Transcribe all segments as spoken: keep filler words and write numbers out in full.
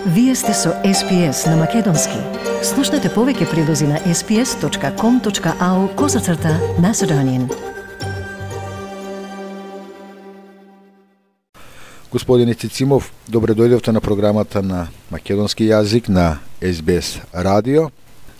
Вие сте со Ес Би Ес на Македонски. Слушнете повеќе прилози на ес би ес точка ком точка ау козацрта Macedonian. Господин Цицимов, добре дојдовте на програмата на македонски јазик на Ес Би Ес радио.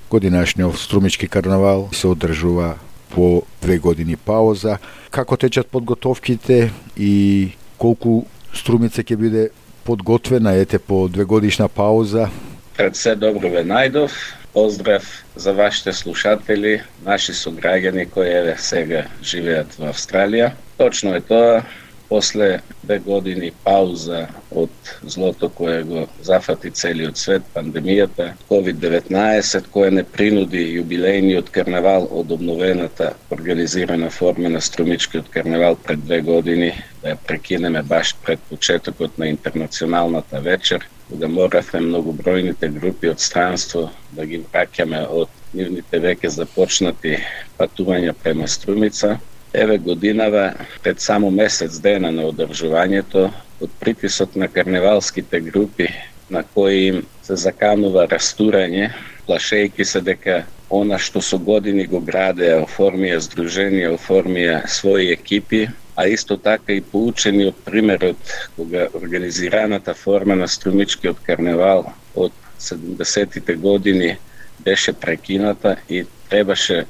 Годинашниот струмички карнавал се одржува по две години пауза. Како течат подготовките и колку струмица ќе биде подготвена ете по две годишна пауза? Пред се добро ве најдов. Поздрав за вашите слушатели, наши сограѓани кои еве сега живеат во Австралија. Точно е тоа. После две години пауза од злото кое го зафати целиот свет, пандемијата, ковид деветнаесет, која не принуди јубилејниот карнавал од обновената организирана форма на струмичкиот карнавал пред две години, да ја прекинеме баш пред почетокот на интернационалната вечер, кога моравме многобројните групи од странство да ги враќаме од нивните веќе започнати патувања према Струмица. Еве годинава, пред само месец дена на одржувањето, од притисок на карневалските групи, на кои им се заканува растурање, плашејки се дека она што со години го градеа, оформија здруженија, оформија своји екипи, а исто така и поучени од примерот кога организираната форма на струмичкиот карневал од седумдесетите години беше прекината и требаше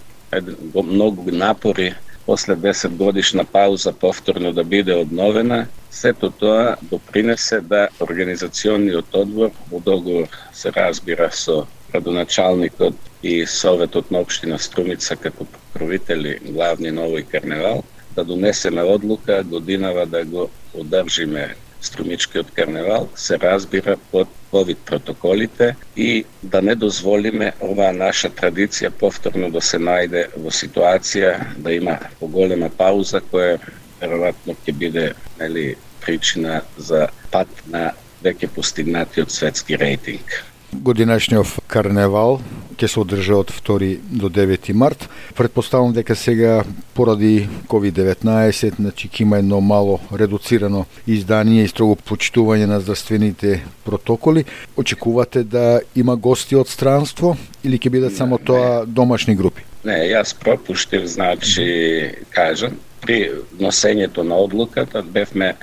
многу напори после десет годишна пауза повторно да биде обновена. Сето тоа допринесе да организационниот одбор, во договор се разбира со градоначалникот и Советот на општина Струмица како покровители главни на овој карневал, да донесеме одлука годинава да го одржиме струмичкиот карневал, се разбира под ковид протоколите и да не дозволиме оваа наша традиција повторно да се најде во ситуација да има поголема пауза која веројатно ќе биде нели причина за пат на веќе постигнатиот светски рейтинг. Годинашниот карневал ќе се одржа од втори до девети март. Претпоставам дека сега поради ковид деветнаесет, значи ќе има едно мало редуцирано издание и строго почитување на здравствените протоколи. Очекувате да има гости од странство или ќе бидат само не, тоа не. домашни групи? Не, јас пропуштив, значи, кажам, при носењето на одлуката бевме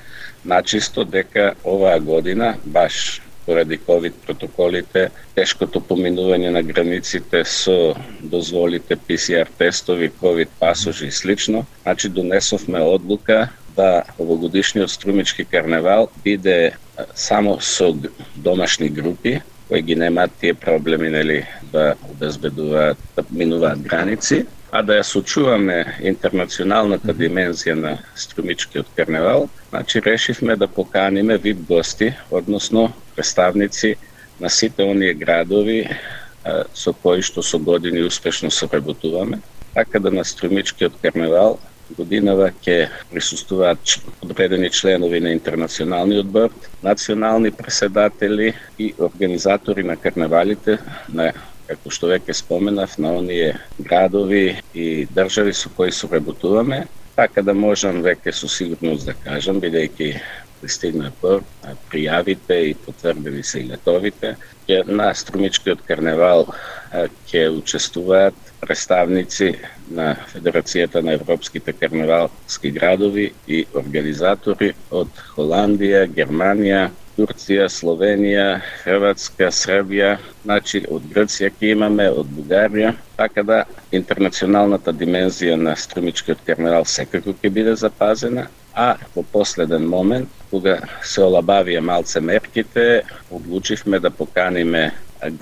начисто дека оваа година, баш поради ковид протоколите, тешкото поминување на границите со дозволите пи си ар тестови, ковид пасожи и слично, значи донесовме одлука да овогодишниот струмички карневал биде само со домашни групи, кои ги немаат тие проблеми, нели, да обезбедуваат, да минуваат граници, а да ја сочуваме интернационалната димензија на струмичкиот карневал, значи решивме да поканиме вип гости, односно представници на сите оние градови а, со кои што со години успешно соработуваме, така да на струмичкиот карневал годинава ќе присуствуваат одредени членови на интернационалниот борд, национални преседатели и организатори на карневалите на, како што веќе споменав, на оние градови и држави со кои соработуваме, така да можам веќе со сигурност да кажам, бидејќи пристигна по пријавите и потврдени се и летовите, ќе на струмичкиот карневал ќе учествуваат представници на Федерацијата на европските карневалски градови и организатори од Холандија, Германија, Турција, Словенија, Хрватска, Србија, значи од Грција ќе имаме, од Бугарија, така да интернационалната димензија на струмичкиот карневал секако ќе биде запазена, а во последен момент, кога се олабавија малце мерките, одлучивме да поканиме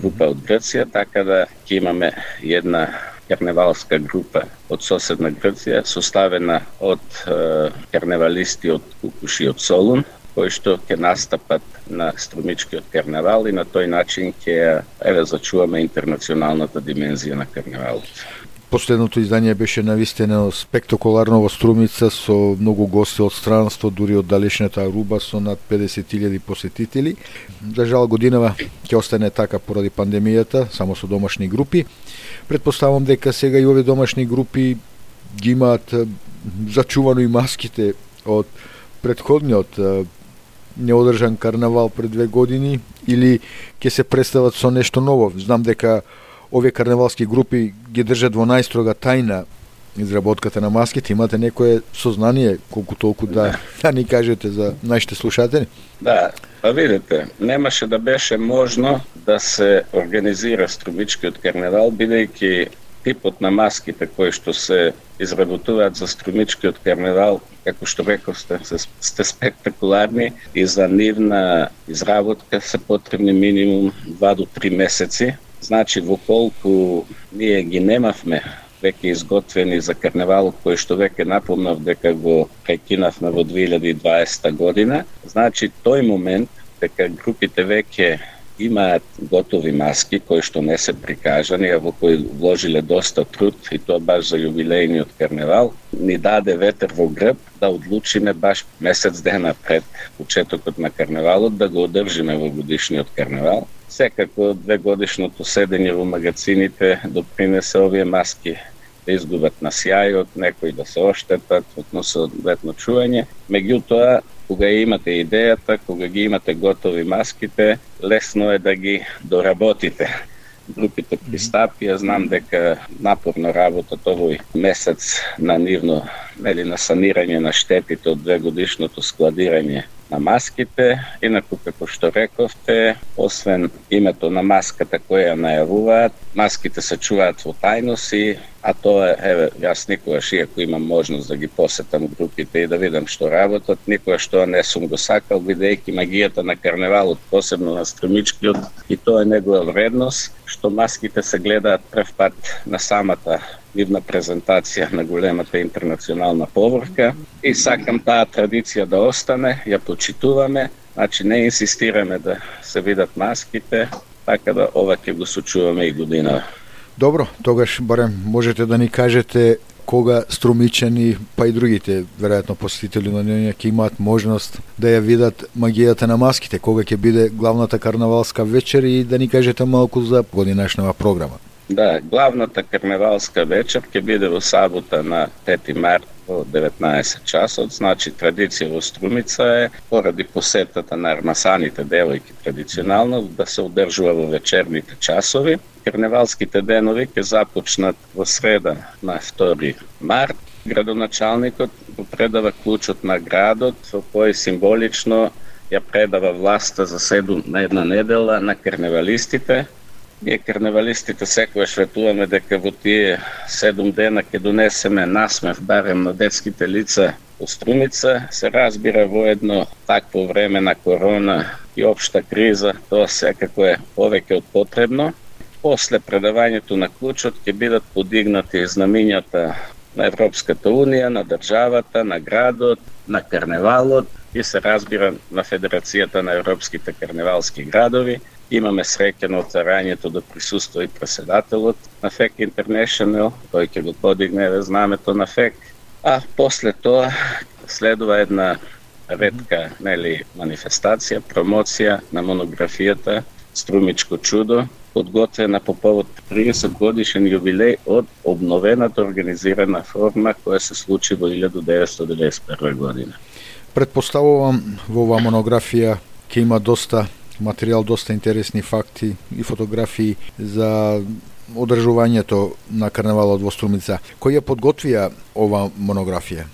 група од Грција, така да ќе имаме една карневалска група од соседна Грција, составена од е, карневалисти од Кукуш и од Солун, кои што ќе настапат на струмичкиот карневал и на тој начин ќе еве зачуваме интернационалната димензија на карневалот. Последното издание беше навистено спектакуларно во Струмица со многу гости од странство, дури од далечната Аруба со над педесет илјади посетители. За жал годинава ќе остане така поради пандемијата, само со домашни групи. Претпоставам дека сега и овие домашни групи ги имаат зачувано и маските од претходниот неодржан карнавал пред две години или ќе се представат со нешто ново? Знам дека овие карневалски групи ги држат во најстрога тајна изработката на маските. Имате некое сознание колку толку да, да ни кажете за нашите слушатели? Да, па видите, немаше да беше можно да се организира струмичкиот карневал, бидејќи типот на маските кои што се изработуваат за струмичкиот карневал, како што рековте, сте спектакуларни и за нивна изработка се потребни минимум два до три месеци. Значи, во колку ние ги немавме веќе изготвени за карневалот, кој што веќе напомнав дека го прекинавме во две илјади и дваесета година, значи тој момент дека групите веќе имаат готови маски кои што не се прикажани, а во кои вложиле доста труд, и тоа баш за јубилејниот карневал, ни даде ветер во грб да одлучиме баш месец дена пред почетокот на карневалот да го одржиме во годишниот карневал. Секако две годишното седење во магазините допринесе овие маски да изгубат на сјајот, некои да се оштетат, односно соодветно чување. Меѓутоа, кога имате идејата, кога ги имате готови маските, лесно е да ги доработите. Групите пристапија, знам дека напорно работат овој месец на нивно, нели, на санирање на штетите од две годишното складирање на маските. Инаку, како што рековте, освен името на маската која ја најавуваат, маските се чуваат во тајноси, а тоа е, еве, јас никогаш, иако имам можност да ги посетам групите и да видам што работат, никогаш тоа не сум го сакал, бидејќи магијата на карневалот, посебно на струмичкиот, и тоа е негова вредност, што маските се гледаат прв пат на самата нивна презентација на големата интернационална поврка, и сакам таа традиција да остане, ја почитуваме, значи не инсистираме да се видат маските, така да ова ќе го сочуваме и година. Добро, тогаш барем можете да ни кажете кога струмичани, па и другите, веројатно посетители на неја, ќе имаат можност да ја видат магијата на маските, кога ќе биде главната карнавалска вечер, и да ни кажете малку за годинашнава програма. Да, главната карневалска вечер ќе биде во сабота на пети март во деветнаесет часот. Значи, традиција во Струмица е, поради посетата на армасаните девојки традиционално, да се одржува во вечерните часови. Карневалските денови ќе започнат во среда на втори март. Градоначалникот го предава клучот на градот, во кој символично ја предава власта за седум на една недела на карневалистите. Ние карневалистите секогаш ветуваме дека во тие седум дена ќе донесеме насмев барем на детските лица во Струмица. Се разбира, во едно такво време на корона и општа криза, тоа секако е повеќе од потребно. После предавањето на клучот ќе бидат подигнати знамињата на Европската унија, на државата, на градот, на карневалот и се разбира на Федерацијата на европските карневалски градови. Имаме среќа на отварањето да присуства и преседателот на еф и си International, тој ќе го подигне знамето на еф и си. А после тоа следува една ретка, нели, манифестација, промоција на монографијата Струмичко чудо, подготвена по повод триесет годишен јубилеј од обновената организирана форма која се случи во илјада деветстотини деветдесет и прва година. Предпоставувам во оваа монографија ќе има доста материјал, доста интересни факти и фотографии за одржувањето на карневалот во Струмица. Кој ја подготвија ова монографија?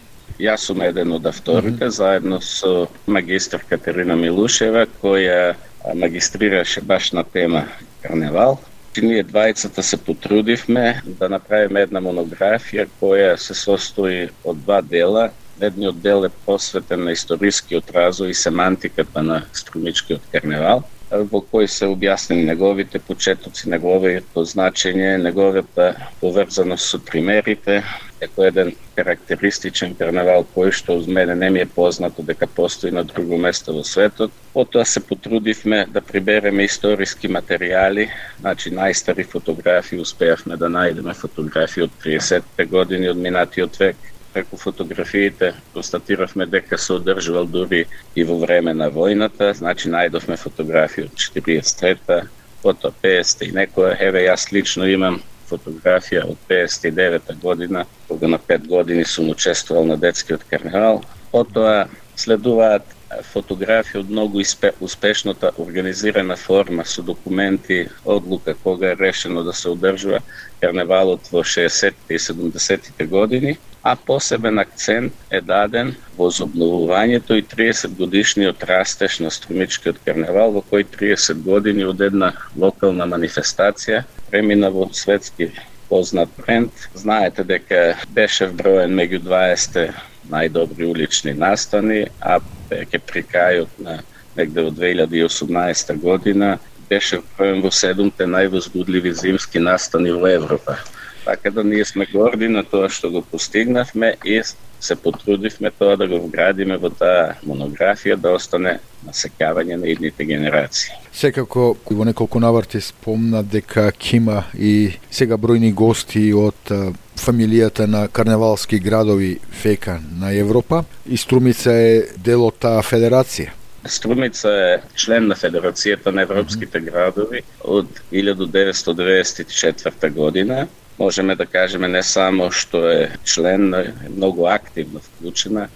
Јас сум еден од авторите, mm-hmm. заедно со магистар Катерина Милушева, која магистрираше баш на тема карневал. Ние двајцата се потрудивме да направиме една монографија која се состои од два дела. Едниот дел е посветен на историскиот развој и семантиката на струмичкиот карневал, во кој се објаснени неговите почетоци, неговото значење, неговата поврзаност со примерите, како еден карактеристичен карневал кој што од мене не ми е познато дека постои на друго место во светот. Потоа се потрудивме да прибереме историски материјали, значи најстари фотографии, успеавме да најдеме фотографии од триесетте години од минатиот век. Преку фотографиите констатиравме дека се одржувал дури и во време на војната, значи најдовме фотографии од четириесет и трета, потоа педесет и некоја, еве јас лично имам фотографија од педесет и девета година, кога на пет години сум учествувал на детскиот карневал. Потоа следуваат фотографија од многу успешната организирана форма со документи, одлука кога е решено да се одржува карневалот во шеесеттите и седумдесеттите години, а посебен акцент е даден во возобновувањето и триесет годишниот растеж на Струмичкиот карневал, во кој триесет години од една локална манифестација премина во светски познат бренд. Знаете дека беше вброен меѓу дваесет најдобри улични настани, а ќе при крајот на негде од две илјади и осумнаесета година беше вброен во седумте највозбудливи зимски настани во Европа. Така да ние сме горди на тоа што го постигнавме и се потрудивме тоа да го вградиме во таа монографија да остане на сеќавање на идните генерации. Секако во неколку наврати спомна дека ќе има и сега бројни гости од фамилијата на карневалски градови ФЕКА на Европа и Струмица е дел од таа федерација. Струмица е член на Федерацијата на европските градови од илјада деветстотини деветдесет и четврта година. Можеме да кажеме не само што е член, но е многу активно вклучена.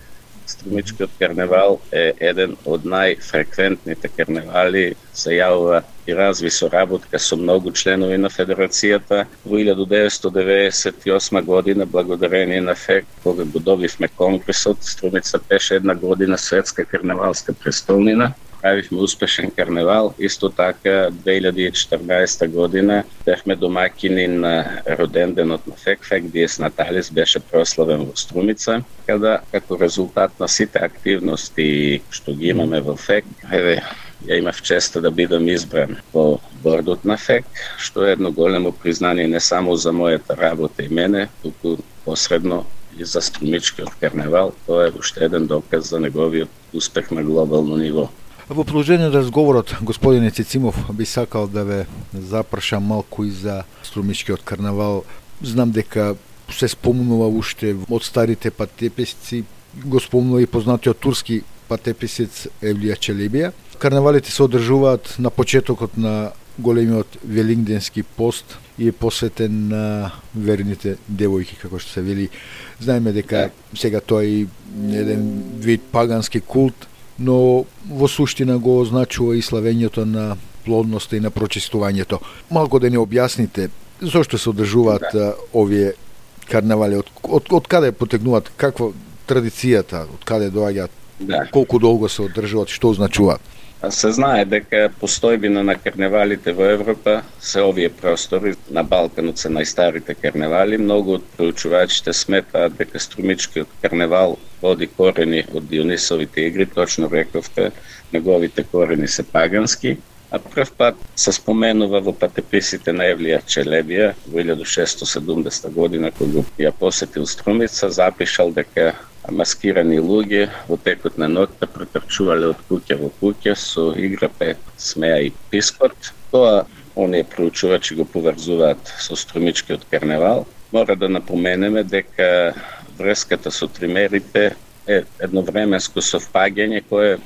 Струмичкиот карневал е еден од најфреквентните карневали, се јавува и разви соработка со многу членови на Федерацијата. Во илјада деветстотини деветдесет и осма година, благодарение на ФЕК, кога го добивме конгресот, Струмица беше една година светска карневалска престолнина. Правивме успешен карневал. Исто така, две илјади и четрнаесета година бевме домаќини на роденденот на ФЕК. ФЕК Диес Наталис беше прославен во Струмица, када како резултат на сите активности што ги имаме во ФЕК, еве, ја имав честа да бидам избран во бордот на ФЕК, што е едно големо признание не само за мојата работа и мене, туку посредно и за Струмичкиот карневал. Тоа е уште еден доказ за неговиот успех на глобално ниво. Во продолжение на разговорот, господине Цицимов, би сакал да ве запрашам малку и за Струмичкиот карнавал. Знам дека се спомнува уште од старите патеписци, го спомнува и познатиот турски патеписец Евлија Челебија. Карнавалите се одржуваат на почетокот на големиот велингденски пост и е посветен на верните девојки, како што се вели. Знаеме дека сега тоа е еден вид пагански култ, но во суштина го означува и славењето на плодноста и на прочистувањето. Малку да ни објасните зошто се одржуваат да. овие карнавали, од, од, од каде потегнуваат, каква традицијата, од каде доаѓаат, да. колку долго се одржуваат, што означуваат? Се знае дека постојбина на карневалите во Европа се овие простори. На Балканот се најстарите карневали. Многу од проучувачите сметаат дека Струмичкиот карневал води корени од Дионисовите игри. Точно рековте, неговите корени се пагански. А прв пат се споменува во патеписите на Евлија Челебија во илјада шестстотини и седумдесета година, кога ја посетил Струмица, запишал дека маскирани луѓе во текот на ноќта претрчувале од куќа во куќа со игра, пет, смеа и пискот. Тоа оние проучувачи го поврзуваат со Струмичкиот карневал. Мора да напоменеме дека врската со тримерите е едновременско совпаѓање кое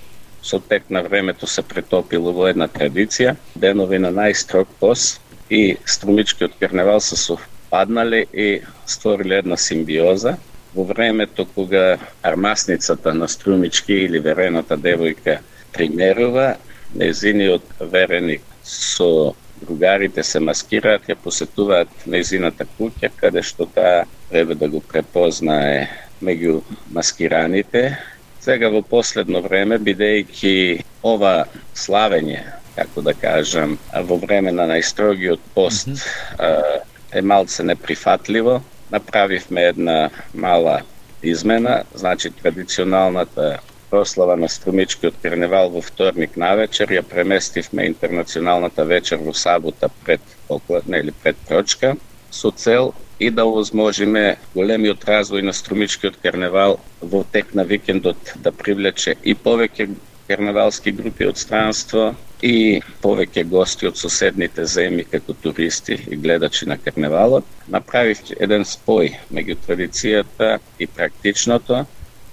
со тек на времето се претопило во една традиција. Денови на најстрог пост и Струмичкиот карневал се совпаднале и створиле една симбиоза. Во времето кога армасницата на Струмички или верената девојка примерува, нејзиниот вереник со другарите се маскираат, ја посетуваат нејзината куќа, каде што таа треба да го препознае меѓу маскираните. Сега во последно време, бидејќи ова славење, како да кажам, во време на најстрогиот пост mm-hmm. е малце неприфатливо, направивме една мала измена, значи традиционалната прослава на Струмичкиот карневал во вторник навечер ја преместивме интернационалната вечер во сабота пред покладна или пред прочка, со цел и да овозможиме големиот развој на Струмичкиот карневал во тек на викендот да привлече и повеќе карневалски групи од странство и повеќе гости од соседните земји како туристи и гледачи на карневалот. Направив еден спој меѓу традицијата и практичното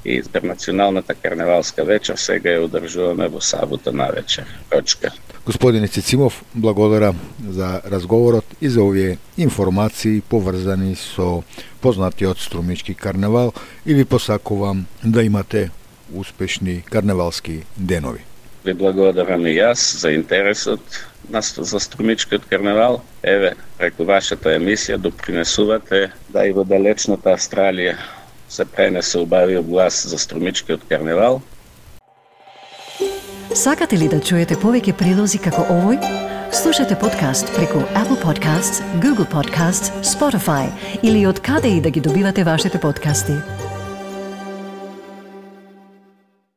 и интернационалната карневалска вечер сега ја одржуваме во сабота навечер. Точка. Господине Цицимов, благодарам за разговорот и за овие информации поврзани со познатиот Струмички карневал и ви посакувам да имате успешни карневалски денови. Ви благодарам и јас за интересот за Струмичкиот карневал. Еве, преку вашата емисија допринесувате да и во далечната Австралија се пренесе убавиот глас за Струмичкиот карневал. Сакате ли да чуете повеќе прилози како овој? Слушате подкаст преку Apple Podcasts, Google Podcasts, Spotify или од каде и да ги добивате вашите подкасти.